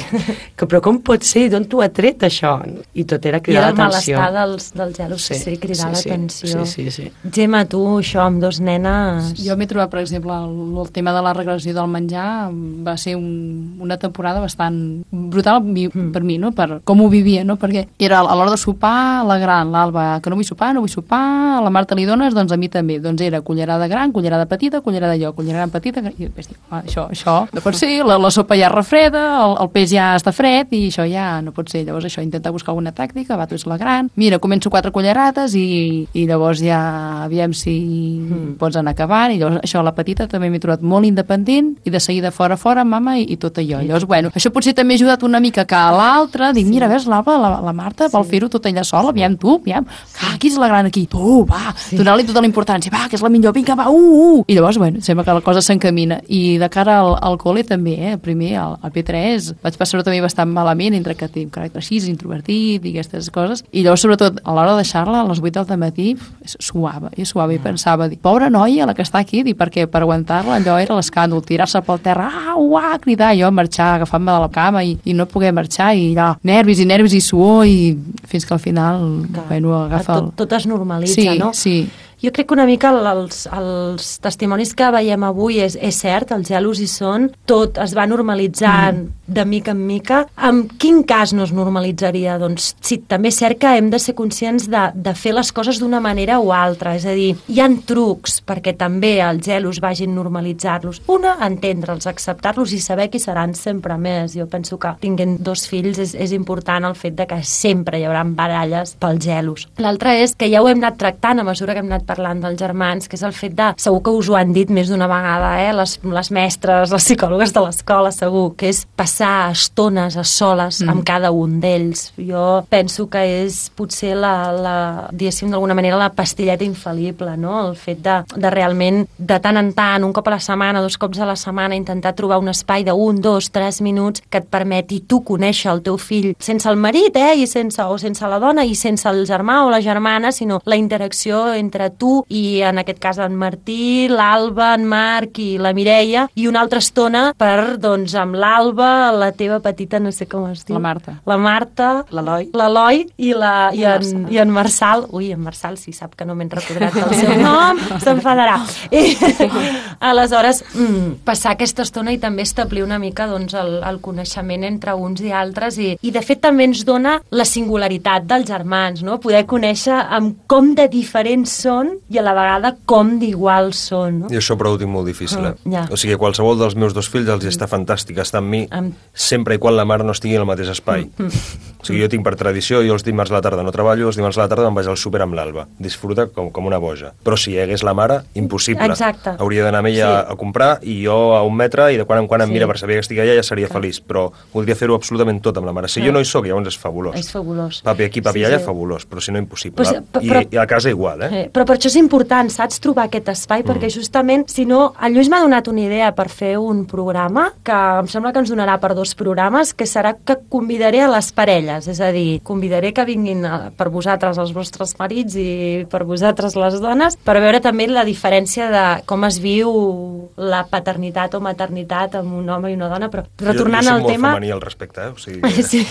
Però com pot ser? D'on t'ho ha tret, això? I tot era cridar l'atenció. I era el malestar dels gelos, cridar l'atenció. Sí. Gemma, tu, això, amb dos nenes... Jo m'he trobat, per exemple, el tema de la regressió del menjar va ser una temporada bastant brutal per mi, no? Per com ho vivia, no? Perquè era a l'hora de sopar, la gran, l'Alba, que no vull sopar, a la Marta li dones, doncs a mi també. Doncs era cullerada gran, cullerada petita, cullerada jo, cullerada petita, i després dic, això no pot ser, la sopa ja refreda, el peix ja està fred, i això ja no pot ser. Llavors això, intentar buscar alguna tàctica, tu és la gran, mira, començo 4 cullerades i llavors ja aviam si pots anar acabant, i llavors això, la petita també m'he trobat molt independent, i de seguida fora, mama, i tot allò. Llavors, bueno, això potser també ha ajudat una mica que a l'altra, dic, mira, ves, l'Alba, la Marta vol fer-ho tot ella sola, aviam tu, qui és la gran aquí? Tu, va, donar-li tota la importància, va, que és la millor, vinga, va, I llavors, bueno, sembla que la cosa s'encamina. I de cara al col·le també, primer, al P3, vaig passar-ho també bastant malament, entre que tinc caràcter així, introvertit i aquestes coses, i llavors, sobretot, a l'hora de deixar-la, a les 8 del matí, suava, i pensava, dic, pobra noia, la que està aquí, dic, perquè per aguantar-la allò era l'escàndol, tirar-se pel terra, cridar, jo marxar, agafant-me de la cama i no poder marxar, i allò, nervis i suor, i fins que al final, bueno, agafa tot es normalitza, no? Sí. Jo crec que una mica els testimonis que veiem avui és cert, els gelos hi són, tot es va normalitzant de mica en mica. En quin cas no es normalitzaria? Doncs sí, també és cert que hem de ser conscients de fer les coses d'una manera o altra, és a dir, hi ha trucs perquè també els gelos vagin normalitzar-los. Una, entendre'ls, acceptar-los i saber qui seran sempre més. Jo penso que tinguent 2 fills és important el fet de que sempre hi haurà baralles pels gelos. L'altra és que ja ho hem anat tractant a mesura que hem anat parlant dels germans, que és el fet de, segur que us ho han dit més d'una vegada, les mestres, les psicòlogues de l'escola, segur, que és passar estones a soles amb cada un d'ells. Jo penso que és potser diguéssim, d'alguna manera, la pastilleta infal·lible, no? El fet de realment, de tant en tant, un cop a la setmana, 2 cops a la setmana, intentar trobar un espai de 1, 2, 3 minuts que et permeti tu conèixer el teu fill, sense el marit, o sense la dona, i sense el germà o la germana, sinó la interacció entre tu i en aquest cas en Martí, l'Alba, en Marc i la Mireia, i una altra estona per, doncs, amb l'Alba, la teva petita, no sé com es diu. La Marta, l'Eloi i en Marçal. Ui, en Marçal, si sap que no m'he recordat el seu nom, s'enfadarà. Aleshores, passar aquesta estona i també establir una mica doncs, el coneixement entre uns i altres i de fet també ens dona la singularitat dels germans, no? Poder conèixer amb com de diferents són i a la vegada com d'iguals són. No? I això però ho tinc molt difícil. O sigui, qualsevol dels meus dos fills els està fantàstic estar amb mi sempre i quan la mare no estigui en el mateix espai. O sigui, jo tinc per tradició, jo els dimarts a la tarda no treballo, els dimarts a la tarda me'n vaig al súper amb l'Alba. Disfruta com una boja. Però si hi hagués la mare, impossible. Exacte. Hauria d'anar amb ella a comprar i jo a 1 metre i de quan en quan em mira per saber que estic allà ja seria feliç. Però voldria fer-ho absolutament tot amb la mare. Si jo no hi soc, llavors és fabulós. És fabulós. Papi aquí, papi allà, fabulós. Però si no, impossible. I a casa igual, Però per això és important, saps, trobar aquest espai, perquè justament, si no, el Lluís m'ha donat una idea per fer un programa, que em sembla que ens donarà per 2 programes, que serà que convidaré a les parelles, és a dir, convidaré que vinguin per vosaltres els vostres marits i per vosaltres les dones, per veure també la diferència de com es viu la paternitat o maternitat amb un home i una dona, però retornant al tema... Jo soc molt femení al respecte, o sigui... Sí.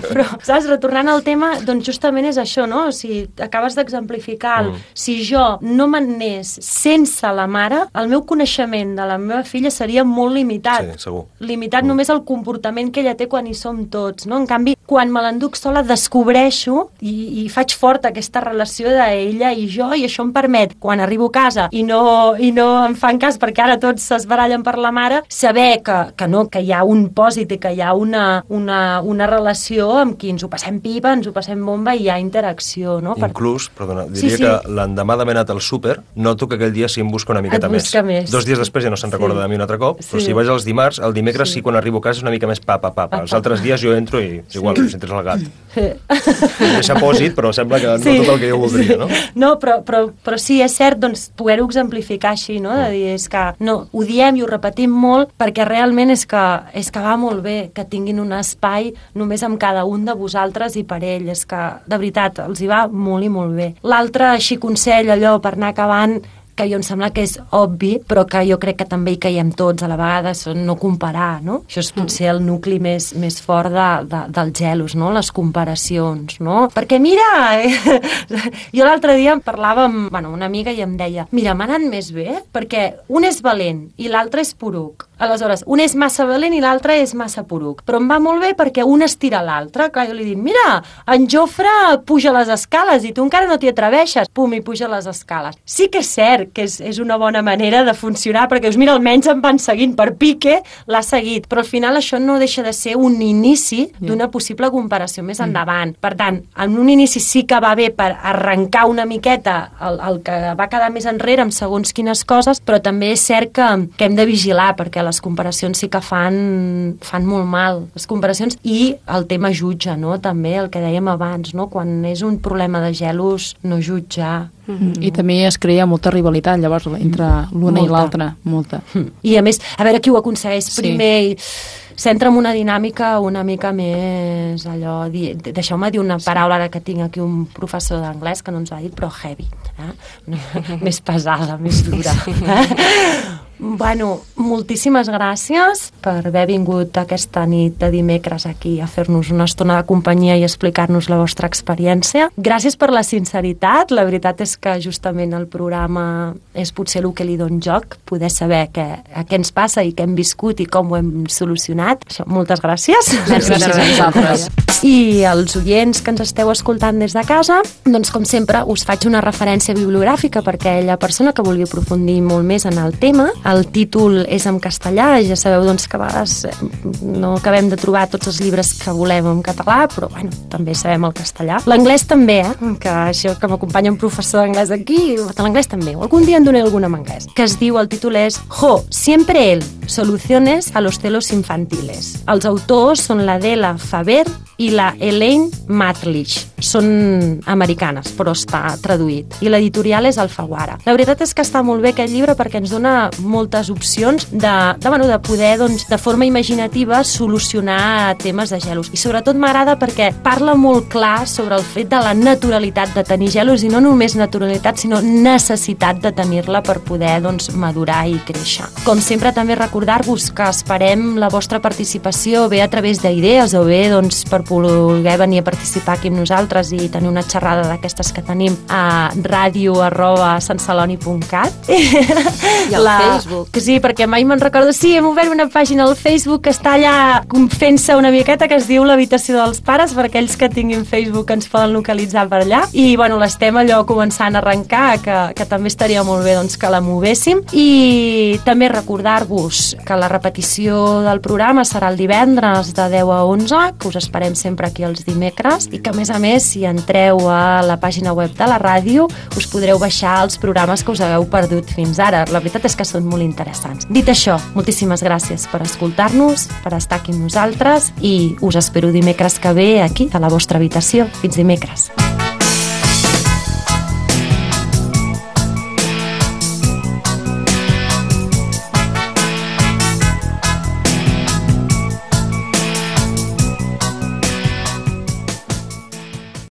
Però, saps, retornant al tema, doncs justament és això, no? O sigui, acabes d'exemplificar si jo no m'anés sense la mare, el meu coneixement de la meva filla seria molt limitat. Sí, segur. Limitat només al comportament que ella té quan hi som tots, no? En canvi, quan me l'enduc sola descobreixo i faig forta aquesta relació d'ella i jo, i això em permet, quan arribo a casa i no em fan cas perquè ara tots s'esbarallen per la mare, saber que hi ha un pòsit i que hi ha una relació amb qui ens ho passem pipa, ens ho passem bomba i hi ha interacció, no? Inclús, perdona, diria que l'endemà d'haver anat al súper, noto que aquell dia sí em busca una miqueta més. 2 dies després ja no se'n recorda de mi un altre cop, però si vaig els dimarts, el dimecres sí quan arribo a casa és una mica més papa. Els altres dies jo entro i igual, si entres al gat. Deixa pòsit, però sembla que no tot el que jo voldria, no? No, però sí, és cert, doncs, poder-ho exemplificar així, no? De dir, és que no, ho diem i ho repetim molt perquè realment és que va molt bé que tinguin un espai només amb cada un de vosaltres i per ell, és que de veritat els hi va molt i molt bé. L'altre, així consell, allò per anar acabant, que jo em sembla que és obvi, però que jo crec que també hi caiem tots a la vegada, són no comparar, no? Això és potser el nucli més fort dels gelos, no? Les comparacions, no? Perquè mira, jo l'altre dia em parlava amb una amiga i em deia, mira, m'ha anat més bé perquè un és valent i l'altre és poruc. Aleshores, un és massa valent i l'altre és massa poruc. Però em va molt bé perquè un estira l'altre. Clar, jo li dic, mira, en Jofre puja les escales i tu encara no t'hi atreveixes. Pum, i puja les escales. Sí que és cert que és una bona manera de funcionar, perquè dius, mira, almenys em van seguint per pique, l'ha seguit. Però al final això no deixa de ser un inici d'una possible comparació més endavant. Per tant, en un inici sí que va bé per arrencar una miqueta el que va quedar més enrere amb segons quines coses, però també és cert que hem de vigilar, perquè les comparacions sí que fan molt mal. Les comparacions i el tema jutge, no? També el que dèiem abans, no? Quan és un problema de gelos, no jutjar. I també es crea molta rivalitat, llavors, entre l'una i l'altra. Molta. I a més, a veure qui ho aconsegueix primer i s'entra en una dinàmica una mica més allò... Deixeu-me dir una paraula ara que tinc aquí un professor d'anglès que no ens ho ha dit, però heavy. Més pesada, més dura. Bueno, moltíssimes gràcies per haver vingut aquesta nit de dimecres aquí a fer-nos una estona de companyia i explicar-nos la vostra experiència. Gràcies per la sinceritat. La veritat és que justament el programa és potser el que li dona joc, poder saber què ens passa i què hem viscut i com ho hem solucionat. Moltes gràcies. Gràcies a vosaltres. I els oients que ens esteu escoltant des de casa, doncs com sempre us faig una referència bibliogràfica perquè la persona que vulgui aprofundir molt més en el tema, el títol és en castellà, ja sabeu doncs que a vegades no acabem de trobar tots els llibres que volem en català, però bueno, també sabem el castellà. L'anglès també, que això que m'acompanya un professor d'anglès aquí, l'anglès també, algun dia en donaré alguna en anglès, que es diu, el títol és Jo, siempre él. Soluciones a los celos infantiles. Els autors són l'Adela Faber i la Elaine Matlich. Són americanes, però està traduït. I l'editorial és Alfaguara. La veritat és que està molt bé aquest llibre perquè ens dona moltes opcions de poder, doncs, de forma imaginativa, solucionar temes de gelos. I sobretot m'agrada perquè parla molt clar sobre el fet de la naturalitat de tenir gelos, i no només naturalitat, sinó necessitat de tenir-la per poder, doncs, madurar i créixer. Com sempre, també recordar-vos que esperem la vostra participació, bé a través d'idees o bé, doncs, per poder venir a participar aquí amb nosaltres i tenir una xerrada d'aquestes que tenim a radio@santceloni.cat. I al Facebook. Que sí, perquè mai me'n recordo. Sí, hem obert una pàgina al Facebook que està allà fent-se una miqueta, que es diu l'habitació dels pares, per aquells que tinguin Facebook ens poden localitzar per allà. I, bueno, l'estem allò començant a arrencar, que també estaria molt bé, doncs, que la movéssim. I també recordar-vos que la repetició del programa serà el divendres de 10 a 11, que us esperem sempre aquí els dimecres, i que, a més, si entreu a la pàgina web de la ràdio, us podreu baixar els programes que us hagueu perdut fins ara. La veritat és que són molt interessants. Dit això, moltíssimes gràcies per escoltar-nos, per estar aquí amb nosaltres, i us espero dimecres que ve aquí, a la vostra habitació. Fins dimecres.